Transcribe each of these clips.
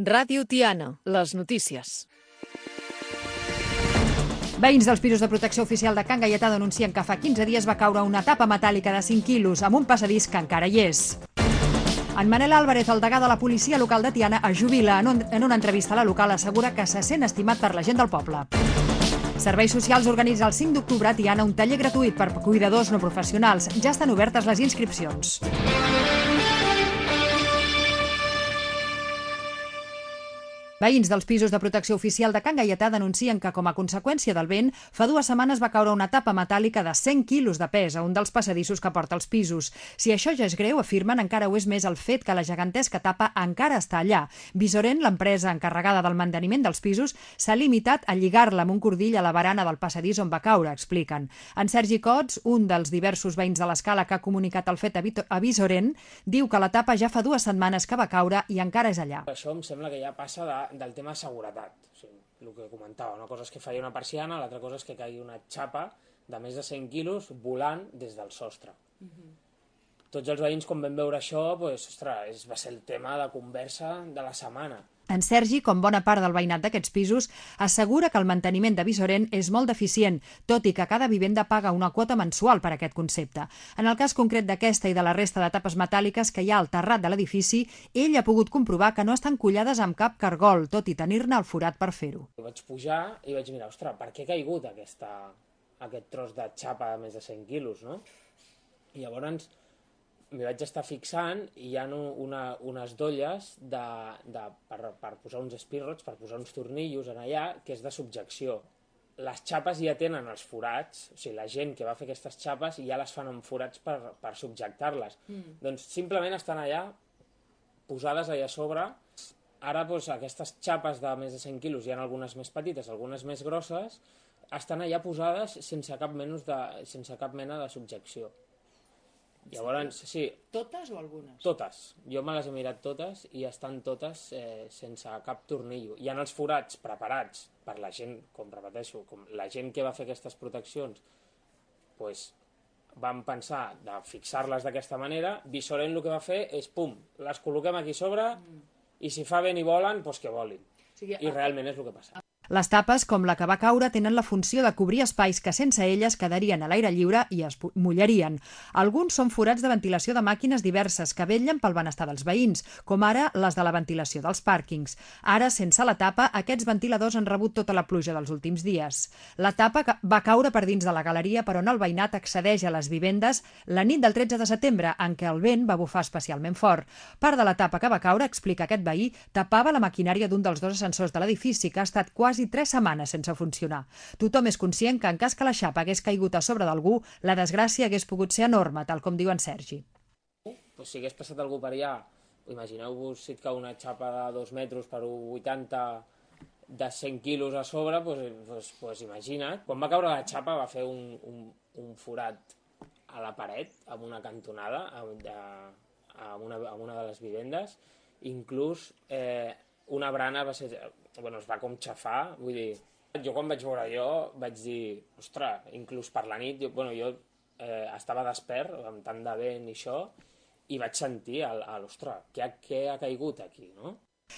Ràdio Tiana, les notícies. Veïns dels pisos de protecció oficial de Can Gaietà denuncien que fa 15 dies va caure una tapa metàl·lica de 5 quilos amb un passadís que encara hi és. En Manel Álvarez, el degà de la policia local de Tiana, es jubila. En una entrevista a la local assegura que se sent estimat per la gent del poble. Serveis Socials organitza el 5 d'octubre a Tiana un taller gratuït per cuidadors no professionals. Ja estan obertes les inscripcions. Veïns dels pisos de protecció oficial de Can Gaietà denuncien que, com a conseqüència del vent, fa 2 setmanes va caure una tapa metàl·lica de 100 quilos de pes a un dels passadissos que porta els pisos. Si això ja és greu, afirmen, encara ho és més el fet que la gegantesca tapa encara està allà. Visorent, l'empresa encarregada del manteniment dels pisos, s'ha limitat a lligar-la amb un cordill a la barana del passadís on va caure, expliquen. En Sergi Cots, un dels diversos veïns de l'Escala que ha comunicat el fet a Visorent, diu que la tapa ja fa 2 setmanes que va caure i encara és allà. Això em sembla que ja passa del tema de seguretat, o sigui, el que comentava. Una cosa és que falli una persiana, l'altra cosa és que caigui una xapa de més de 100 quilos volant des del sostre. Tots els veïns, quan vam veure això, doncs, ostres, va ser el tema de conversa de la setmana. En Sergi, com bona part del veïnat d'aquests pisos, assegura que el manteniment de Visorent és molt deficient, tot i que cada vivenda paga una quota mensual per aquest concepte. En el cas concret d'aquesta i de la resta de tapes metàl·liques que hi ha al terrat de l'edifici, ell ha pogut comprovar que no estan collades amb cap cargol, tot i tenir-ne el forat per fer-ho. Vaig pujar i vaig mirar, ostres, per què ha caigut aquest tros de xapa de més de 100 quilos, no? I llavors m'hi vaig estar fixant i hi ha unes dolles per posar uns espirrots, per posar uns tornillos en allà, que és de subjecció. Les xapes ja tenen els forats, o sigui, la gent que va fer aquestes xapes ja les fan amb forats per subjectar-les. Doncs simplement estan allà, posades allà a sobre. Ara doncs, aquestes xapes de més de 100 quilos, hi ha algunes més petites, algunes més grosses, estan allà posades sense cap mena de subjecció. Llavors, sí. Totes o algunes? Totes. Jo me les he mirat totes i estan totes sense cap tornillo. Hi ha els forats preparats per la gent, com repeteixo, com la gent que va fer aquestes proteccions, doncs vam pensar de fixar-les d'aquesta manera. Visorent el que va fer és, pum, les col·loquem aquí sobre i si fa vent i volen, doncs que volin. I realment és el que passa. Les tapes, com la que va caure, tenen la funció de cobrir espais que sense elles quedarien a l'aire lliure i es mullarien. Alguns són forats de ventilació de màquines diverses que vetllen pel benestar dels veïns, com ara les de la ventilació dels pàrquings. Ara, sense la tapa, aquests ventiladors han rebut tota la pluja dels últims dies. La tapa va caure per dins de la galeria per on el veïnat accedeix a les vivendes la nit del 13 de setembre, en què el vent va bufar especialment fort. Part de la tapa que va caure, explica aquest veí, tapava la maquinària d'un dels 2 ascensors de l'edifici, que ha estat quasi 3 setmanes sense funcionar. Tothom és conscient que en cas que la xapa hagués caigut a sobre d'algú, la desgràcia hagués pogut ser enorme, tal com diu en Sergi. Si hagués passat algú per allà, imagineu-vos si et cau una xapa de 2 metres per 1,80 de 100 quilos a sobre, doncs imagina't. Quan va caure la xapa va fer un forat a la paret, amb una cantonada, a una de les vivendes. Inclús una brana es va com xafar, vull dir, jo quan vaig veure allò vaig dir, ostres, inclús per la nit, jo estava despert amb tant de vent i això, i vaig sentir, ostres, què ha caigut aquí, no?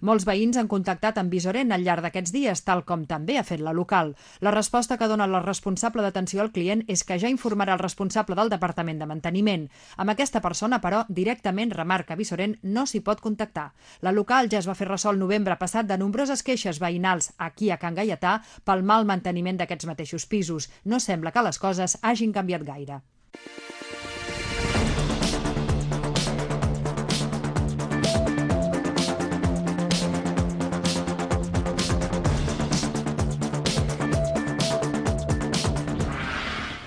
Molts veïns han contactat amb Visorent al llarg d'aquests dies, tal com també ha fet la local. La resposta que dona la responsable d'atenció al client és que ja informarà el responsable del Departament de Manteniment. Amb aquesta persona, però, directament, remarca Visorent, no s'hi pot contactar. La local ja es va fer ressò el novembre passat de nombroses queixes veïnals aquí a Can Gaietà pel mal manteniment d'aquests mateixos pisos. No sembla que les coses hagin canviat gaire.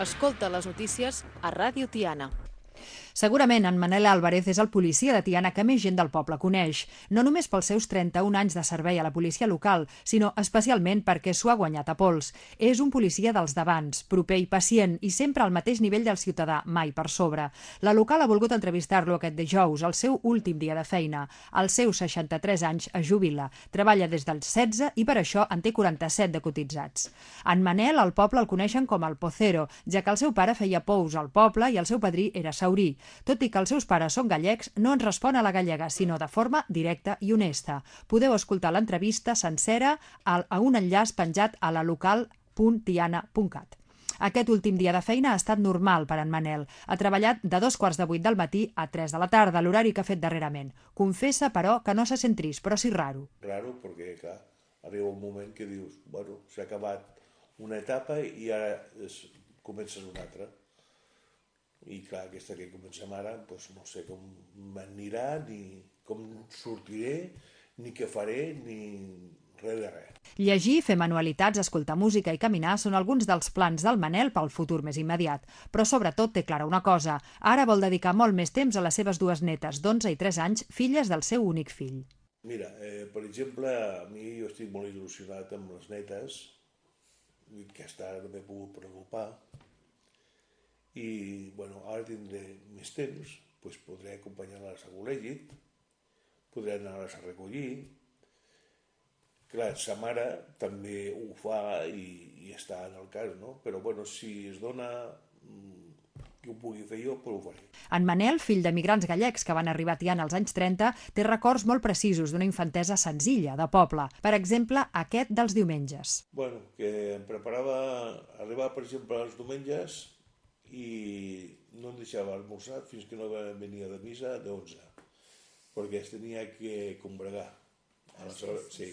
Escolta les notícies a Ràdio Tiana. Segurament en Manel Álvarez és el policia de Tiana que més gent del poble coneix, no només pels seus 31 anys de servei a la policia local, sinó especialment perquè s'ho ha guanyat a pols. És un policia dels d'abans, proper i pacient, i sempre al mateix nivell del ciutadà, mai per sobre. La local ha volgut entrevistar-lo aquest dijous, el seu últim dia de feina. Als seus 63 anys es jubila, treballa des dels 16 i per això en té 47 de cotitzats. En Manel, al poble el coneixen com el Pocero, ja que el seu pare feia pous al poble i el seu padrí era saurí. Tot i que els seus pares són gallecs, no ens respon a la gallega, sinó de forma directa i honesta. Podeu escoltar l'entrevista sencera a un enllaç penjat a la local.tiana.cat. Aquest últim dia de feina ha estat normal per en Manel. Ha treballat de 2:15 del matí a 3 de la tarda, l'horari que ha fet darrerament. Confessa, però, que no se sent trist, però sí raro. Raro, perquè, clar, arriba un moment que dius, bueno, s'ha acabat una etapa i ara comences una altra. I, clar, aquesta que comencem ara, doncs no sé com m'anirà, ni com sortiré, ni què faré, ni res de res. Llegir, fer manualitats, escoltar música i caminar són alguns dels plans del Manel pel futur més immediat. Però sobretot té clara una cosa. Ara vol dedicar molt més temps a les seves dues netes, d'11 i 3 anys, filles del seu únic fill. Mira, per exemple, a mi jo estic molt il·lusionat amb les netes, que hasta ara no m'he pogut preocupar, i bueno, ara tindré més temps, doncs podré acompanyar-les a col·legi, podré anar-les a recollir. Clar, sa mare també ho fa i està en el cas, no? Però bueno, si es dona que ho pugui fer jo, però ho faré. En Manel, fill d'emigrants gallecs que van arribar a Tiana als anys 30, té records molt precisos d'una infantesa senzilla, de poble. Per exemple, aquest dels diumenges. Bueno, que em preparava, arribava per exemple els diumenges i no em deixava almorzar fins que no venia de missa de 11, perquè es tenia que combregar. Aleshores, sí.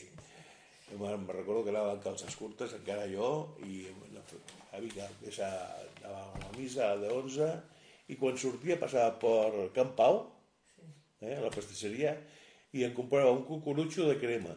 Me'n recordo que anava amb calces curtes, encara jo, i vinga, anava a la missa de 11, i quan sortia passava per Can Pau, a la pastisseria, i em comprava un cucurutxo de crema.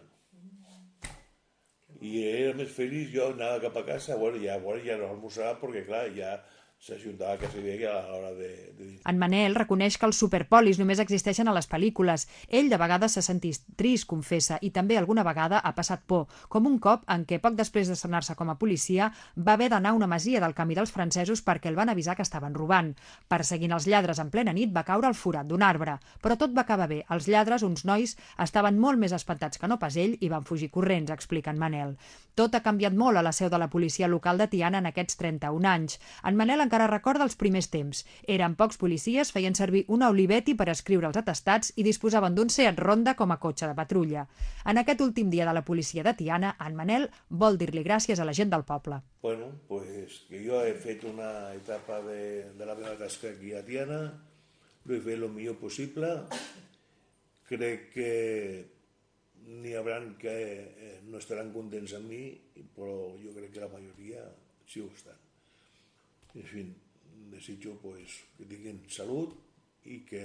I era més feliç, jo anava cap a casa, ja no almorzava, perquè clar, ja s'ajuntava quasi bé a l'hora de dir. En Manel reconeix que els superpolis només existeixen a les pel·lícules. Ell de vegades se sentís trist, confessa, i també alguna vegada ha passat por, com un cop en què poc després d'estrenar-se com a policia va haver d'anar a una masia del Camí dels Francesos perquè el van avisar que estaven robant. Perseguint els lladres en plena nit va caure al forat d'un arbre, però tot va acabar bé. Els lladres, uns nois, estaven molt més espantats que no pas ell i van fugir corrents, explica en Manel. Tot ha canviat molt a la seu de la policia local de Tiana en aquests 31 anys. En Manel encara recorda els primers temps. Eren pocs policies, feien servir una Olivetti per escriure els atestats i disposaven d'un Seat Ronda com a cotxe de patrulla. En aquest últim dia de la policia de Tiana, en Manel vol dir-li gràcies a la gent del poble. Bueno, pues que jo he fet una etapa de la meva tasca aquí a Tiana, ho he fet el millor possible. Crec que n'hi haurà que no estaran contents amb mi, però jo crec que la majoria sí ho estan. En fi, desitjo pues, que tinguin salut i que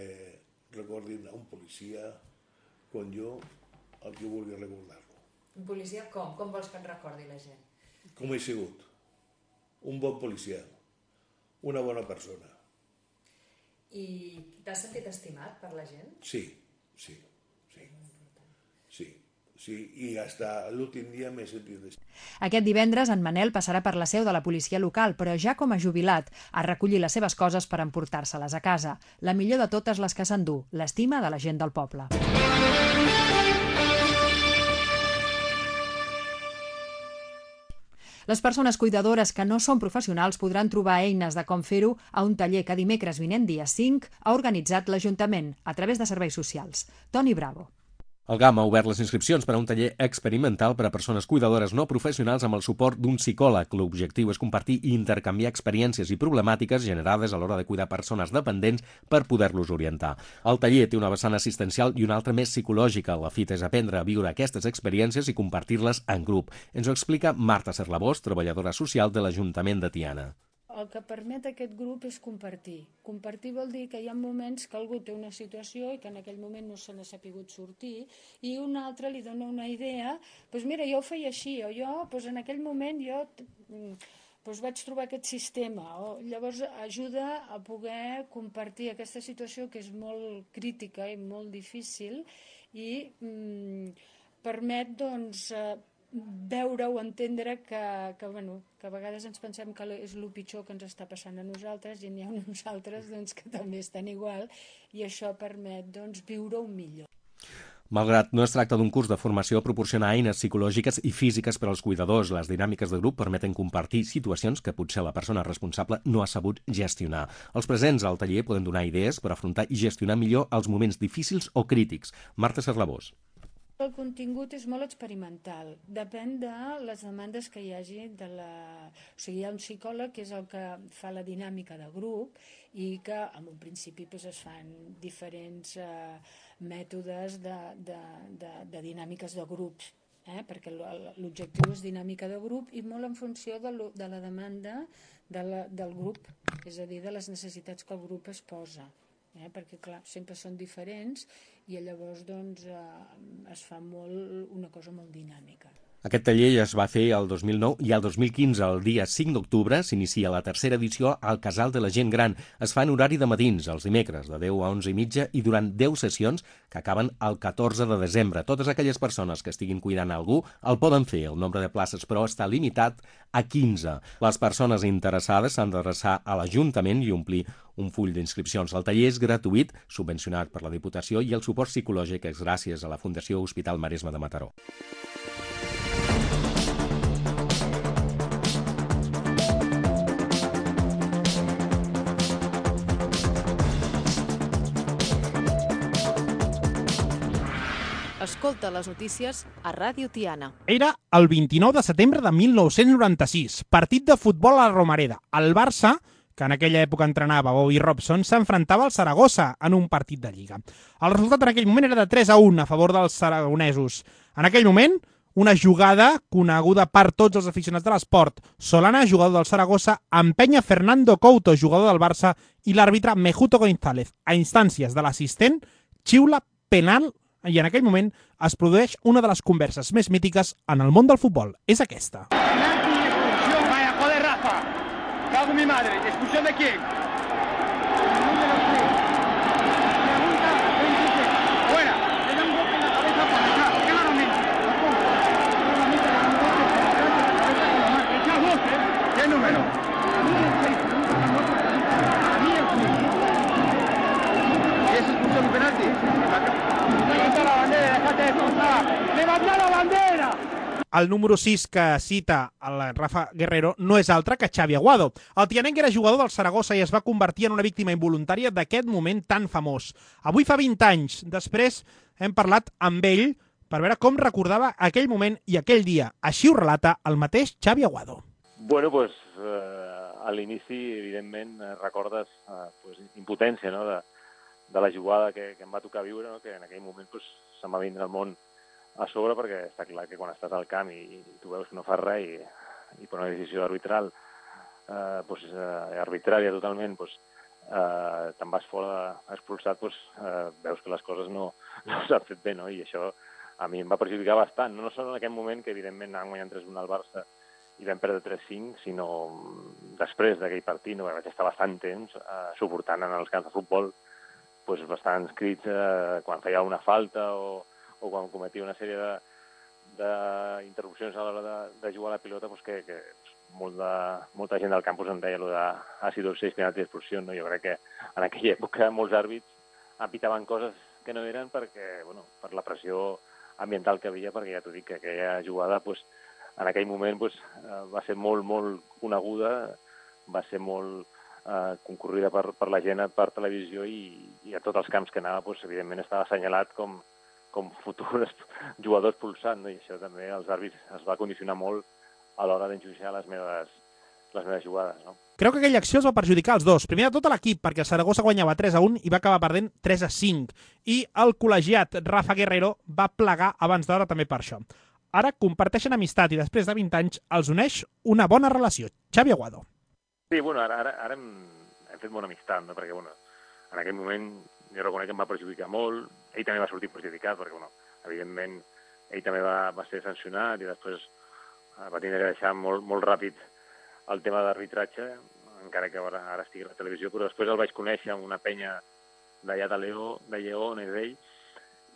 recordin a un policia com jo el que vulgui recordar-lo. Un policia com? Com vols que en recordi la gent? Com he sigut. Un bon policia. Una bona persona. I t'has sentit estimat per la gent? Sí. I fins l'últim dia m'he sentit estimat. Aquest divendres en Manel passarà per la seu de la policia local, però ja com a jubilat, a recollir les seves coses per emportar-se-les a casa. La millor de totes les que s'endú, l'estima de la gent del poble. Les persones cuidadores que no són professionals podran trobar eines de com fer-ho a un taller que dimecres vinent, dia 5, ha organitzat l'Ajuntament a través de serveis socials. Toni Bravo. El GAM ha obert les inscripcions per a un taller experimental per a persones cuidadores no professionals amb el suport d'un psicòleg. L'objectiu és compartir i intercanviar experiències i problemàtiques generades a l'hora de cuidar persones dependents per poder-los orientar. El taller té una vessant assistencial i una altra més psicològica. La fita és aprendre a viure aquestes experiències i compartir-les en grup. Ens ho explica Marta Serlabós, treballadora social de l'Ajuntament de Tiana. El que permet aquest grup és compartir. Compartir vol dir que hi ha moments que algú té una situació i que en aquell moment no se n'ha sapigut sortir i un altre li dona una idea, doncs mira, jo ho feia així, o jo, doncs en aquell moment jo vaig trobar aquest sistema. Llavors ajuda a poder compartir aquesta situació que és molt crítica i molt difícil i permet, doncs, veure o entendre que a vegades ens pensem que és el pitjor que ens està passant a nosaltres i n'hi ha uns altres que també estan igual i això permet viure-ho millor. Malgrat no es tracta d'un curs de formació, proporciona eines psicològiques i físiques per als cuidadors. Les dinàmiques de grup permeten compartir situacions que potser la persona responsable no ha sabut gestionar. Els presents al taller poden donar idees per afrontar i gestionar millor els moments difícils o crítics. Marta Serrabós. El contingut és molt experimental, depèn de les demandes que hi hagi de la... O sigui, hi ha un psicòleg que és el que fa la dinàmica de grup i que en un principi doncs, es fan diferents mètodes de dinàmiques de grups, perquè l'objectiu és dinàmica de grup i molt en funció de la demanda del grup, és a dir, de les necessitats que el grup es posa. Perquè clar, sempre són diferents i llavors doncs, es fa una cosa molt dinàmica. Aquest taller ja es va fer el 2009 i el 2015, el dia 5 d'octubre, s'inicia la tercera edició al Casal de la Gent Gran. Es fa en horari de matins, els dimecres, de 10 a 11 i mitja, i durant 10 sessions que acaben el 14 de desembre. Totes aquelles persones que estiguin cuidant algú el poden fer. El nombre de places, però, està limitat a 15. Les persones interessades s'han d'adreçar a l'Ajuntament i omplir un full d'inscripcions. El taller és gratuït, subvencionat per la Diputació, i el suport psicològic és gràcies a la Fundació Hospital Maresme de Mataró. Escolta les notícies a Ràdio Tiana. Era el 29 de setembre de 1996, partit de futbol a la Romareda. El Barça, que en aquella època entrenava Bobby Robson, s'enfrontava al Saragossa en un partit de Lliga. El resultat en aquell moment era de 3-1 a favor dels saragonesos. En aquell moment, una jugada coneguda per tots els aficionats de l'esport. Solana, jugador del Saragossa, empenya Fernando Couto, jugador del Barça, i l'àrbitre Mejuto González. A instàncies de l'assistent, xiula penal i en aquell moment es produeix una de les converses més mítiques en el món del futbol. És aquesta. Vaya, joder, Rafa. Cago en mi madre. ¿Expulsión de quién? Fuera. Le da un golpe en la cabeza para acá. Claramente. ¿Qué número? ¿Y es expulsión y penalti? Levanta la bandera, déjate de expulsar. ¡Levanta la bandera! El número 6 que cita el Rafa Guerrero no és altre que Xavi Aguado. El tianenc era jugador del Saragossa i es va convertir en una víctima involuntària d'aquest moment tan famós. Avui fa 20 anys. Després hem parlat amb ell per veure com recordava aquell moment i aquell dia. Així ho relata el mateix Xavi Aguado. Bueno, pues, a l'inici, evidentment, recordes impotència, no?, de la jugada que em va tocar viure, no?, que en aquell moment pues, se'm va vindre el món a sobre, perquè està clar que quan estàs al camp i tu veus que no fas res i per una decisió arbitral, arbitrària totalment, te'n vas fora expulsat, veus que les coses no s'han fet bé, no? I això a mi em va perjudicar bastant, no sols en aquell moment, que evidentment anàvem guanyant 3-1 al Barça i vam perdre 3-5, sinó després d'aquell partit, no? Vaig estar bastant temps suportant en els camps de futbol bastants crits quan feia una falta o quan cometia una sèrie d'interrupcions a l'hora de jugar a la pilota, que molta gent del campus em deia allò de ha sido 6 penaltis d'expulsió, no? Jo crec que en aquella època molts àrbits apitaven coses que no eren perquè, per la pressió ambiental que havia, perquè ja t'ho dic que aquella jugada en aquell moment va ser molt, molt coneguda, va ser molt concorrida per la gent per televisió i a tots els camps que anava, evidentment estava assenyalat com futurs jugadors pulsant, no? I això també els àrbits es va condicionar molt a l'hora d'enjudiciar les meves jugades, no? Creu que aquella acció els va perjudicar els dos. Primer de tot a l'equip, perquè el Saragossa guanyava 3-1 i va acabar perdent 3-5. I el col·legiat Rafa Guerrero va plegar abans d'hora també per això. Ara comparteixen amistat i després de 20 anys els uneix una bona relació. Xavi Aguado. Sí, ara hem fet bona amistat, no? Perquè, en aquell moment jo reconec que em va perjudicar molt, ell també va sortir perjudicat, perquè, evidentment, ell també va ser sancionat i després va tenir que deixar molt ràpid el tema d'arbitratge, encara que ara estigui a la televisió, però després el vaig conèixer amb una penya d'allà de Lleó, on és ell,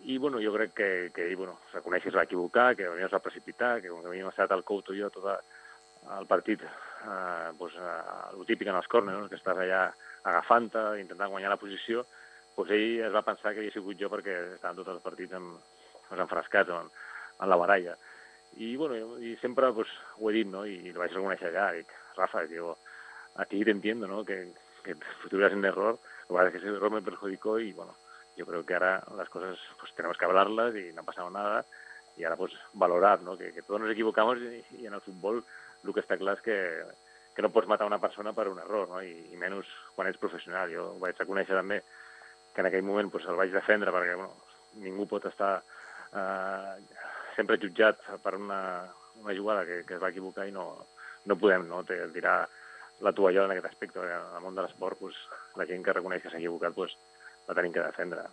i jo crec que ell reconeix que es va equivocar, que es va precipitar, que com que havíem estat al Couto i jo tot el partit, el típic en els córners, que estàs allà agafant-te, intentant guanyar la posició, ell es va pensar que havia sigut jo perquè estaven tots els partits amb enfrascats en la baralla. I sempre ho he dit, no? I lo vaig reconèixer allà. Dic, Rafa, yo a ti te entiendo, ¿no? Que estuvieras en error. Lo que pasa es que ese error me perjudicó y, yo creo que ahora las cosas pues tenemos que hablarlas y no ha pasado nada. Y ahora pues valorar, ¿no? Que todos nos equivocamos y en el fútbol lo que està clar és que no pots matar una persona per un error, no? I menys quan ets professional. Jo vaig reconèixer també que en aquell moment pues, el vaig defendre perquè ningú pot estar sempre jutjat per una jugada que es va equivocar i no podem tirar la tovallola en aquest aspecte. En el món de l'esport, pues, la gent que reconeix que s'ha equivocat pues, la tenim que defendre.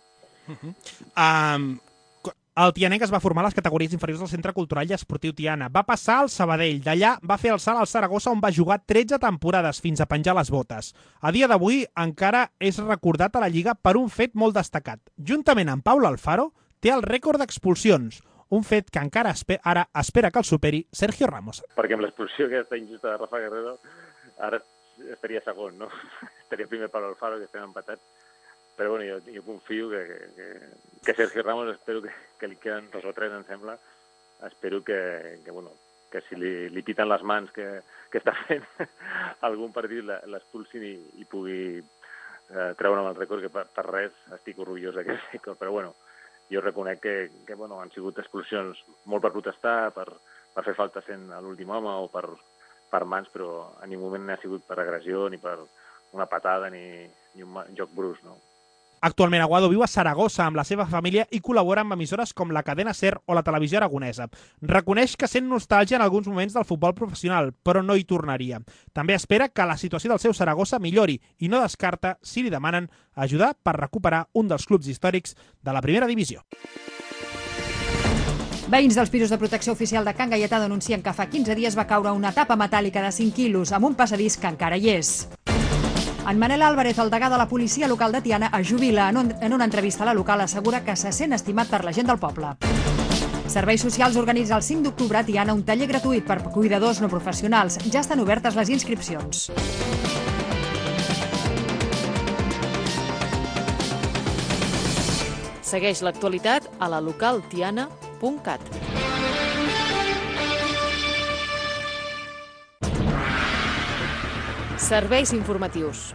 El tianenc es va formar a les categories inferiors del Centre Cultural i Esportiu Tiana. Va passar al Sabadell. D'allà va fer el salt al Saragossa, on va jugar 13 temporades fins a penjar les botes. A dia d'avui encara és recordat a la Lliga per un fet molt destacat. Juntament amb Pau Alfaro, té el rècord d'expulsions, un fet que encara ara espera que el superi Sergio Ramos. Perquè amb l'expulsió aquesta injusta de Rafa Guerrero, ara estaria segon, no? Estaria primer Pau Alfaro, que estem empatats. Però jo confio que Sergio Ramos, espero que li queden 2 o 3, em sembla, espero que si li piten les mans que està fent algun partit l'expulsin i pugui treure'm el rècord, que per res estic orgullós d'aquest rècord. Però jo reconec que han sigut expulsions molt per protestar, per fer falta sent l'últim home o per mans, però en ningú moment ha sigut per agressió, ni per una patada, ni un joc brusc, no? Actualment Aguado viu a Saragossa amb la seva família i col·labora amb emissores com la cadena SER o la televisió aragonesa. Reconeix que sent nostàlgia en alguns moments del futbol professional, però no hi tornaria. També espera que la situació del seu Saragossa millori i no descarta, si li demanen, ajudar per recuperar un dels clubs històrics de la primera divisió. Veïns dels pisos de protecció oficial de Can Gaietà denuncien que fa 15 dies va caure una tapa metàl·lica de 5 quilos amb un passadís que encara hi és. En Manel Álvarez, el degà de la policia local de Tiana, es jubila. En una entrevista a la local assegura que se sent estimat per la gent del poble. Serveis Socials organitza el 5 d'octubre a Tiana un taller gratuït per cuidadors no professionals. Ja estan obertes les inscripcions. Segueix l'actualitat a la localtiana.cat. Serveis informatius.